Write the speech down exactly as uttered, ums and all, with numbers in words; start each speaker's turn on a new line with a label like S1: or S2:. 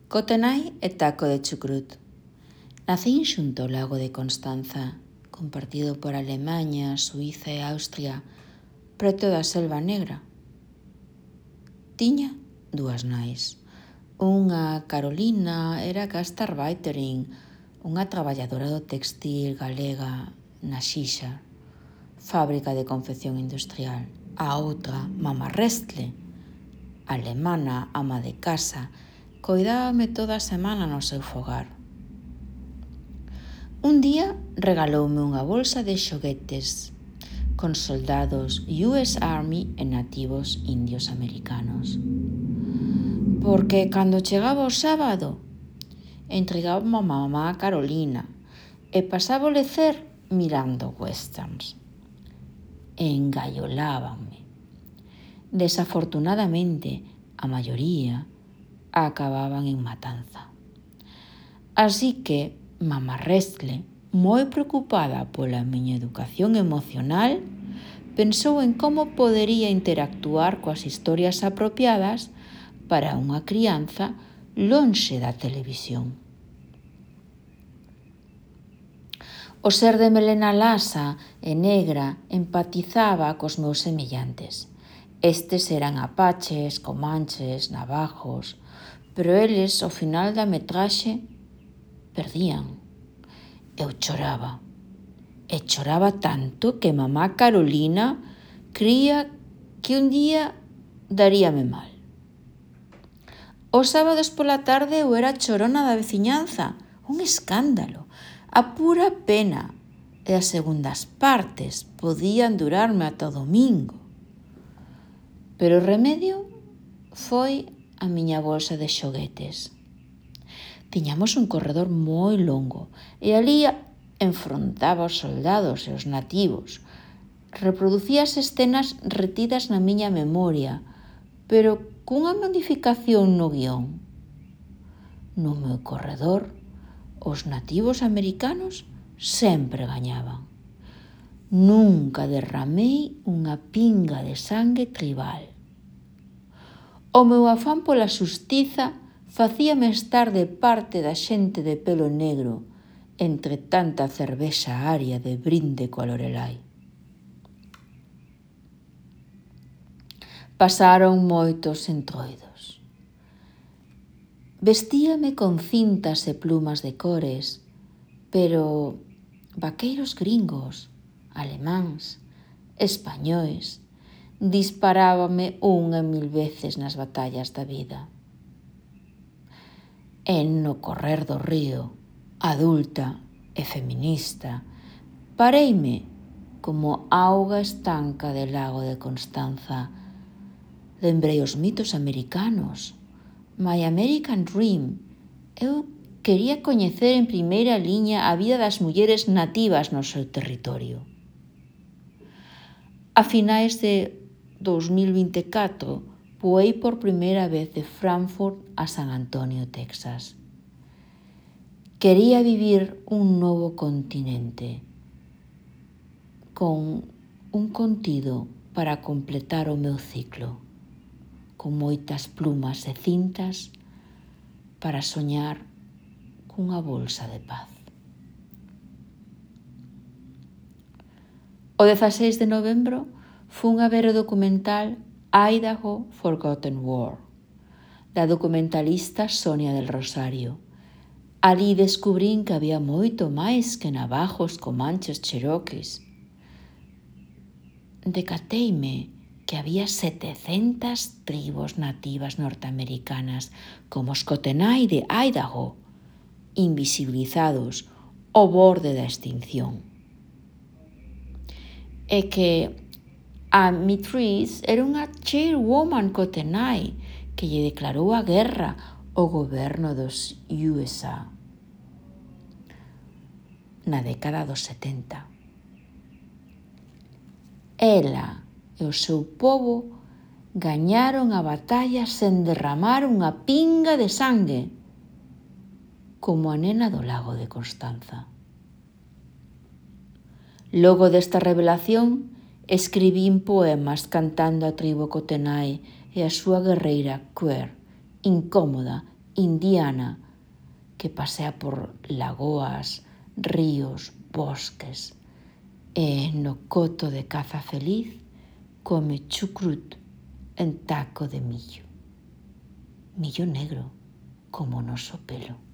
S1: Cotenai e taco de chucrut. Nacín xunto ao lago de Constanza, compartido por Alemaña, Suíza e Austria, preto da Selva Negra. Tiña dúas nais. Unha, Carolina, era gastarbeiterin, unha traballadora do textil galega na Xixa, fábrica de confección industrial. A outra, Mama Restle, alemana, ama de casa, coidábame toda a semana no seu fogar. Un día regaloume unha bolsa de xoguetes con soldados U S Army e nativos indios americanos. Porque cando chegaba o sábado, entregaba a mamá Carolina e pasaba o lecer mirando westerns. Engaiolábanme. Desafortunadamente, a maioría acababan en matanza. Así que Mama Restle, moi preocupada pola miña educación emocional, pensou en como podería interactuar coas historias apropiadas para unha crianza lonxe da televisión. O ser de melena lasa e negra empatizaba cos meus semellantes. Estes eran apaches, comanches, navajos, pero eles, ao final da metraxe, perdían. Eu choraba. E choraba tanto que mamá Carolina cría que un día daríame mal. Os sábados pola tarde eu era chorona da veciñanza, un escándalo, a pura pena, e as segundas partes podían durarme ata o domingo. Pero o remedio foi a miña bolsa de xoguetes. Tiñamos un corredor moi longo e ali enfrontaba os soldados e os nativos. Reproducía as escenas retidas na miña memoria, pero cunha modificación no guión. No meu corredor, os nativos americanos sempre gañaban. Nunca derramei unha pinga de sangue tribal. O meu afán pola xustiza facíame estar de parte da xente de pelo negro entre tanta cervexa aria de brinde coa Lorelai. Pasaron moitos entroidos. Vestíame con cintas e plumas de cores, pero vaqueiros gringos, alemáns, españois, disparábame unha e mil veces nas batallas da vida. E no correr do río, adulta e feminista, pareime como auga estanca del lago de Constanza. Lembrei os mitos americanos, My American Dream. Eu quería coñecer en primeira liña a vida das mulleres nativas no seu territorio. A finais de dos mil vinte e catro, voei por primeira vez de Frankfurt a San Antonio, Texas. Quería vivir un novo continente, con un contido para completar o meu ciclo, con moitas plumas e cintas para soñar cunha bolsa de paz. O dezaseis de novembro fun a ver o documental Idaho Forgotten War, da documentalista Sonia del Rosario. Ali descubrín que había moito máis que navajos, comanches, cherokees. Decateime que había setecentas tribos nativas norteamericanas como os Cotenai de Idaho, invisibilizados ao borde da extinción. E que a Mitrice era unha chairwoman Cotenai que lle declarou a guerra ao goberno dos U S A na década dos setenta. Ela e o seu pobo gañaron a batalla sen derramar unha pinga de sangue, como a nena do lago de Constanza. Logo desta revelación, escribín poemas cantando a tribo Cotenai e a súa guerreira queer, incómoda, indiana que pasea por lagoas, ríos, bosques e no coto de caza feliz come chucrut en taco de millo. Millo negro, como o noso pelo.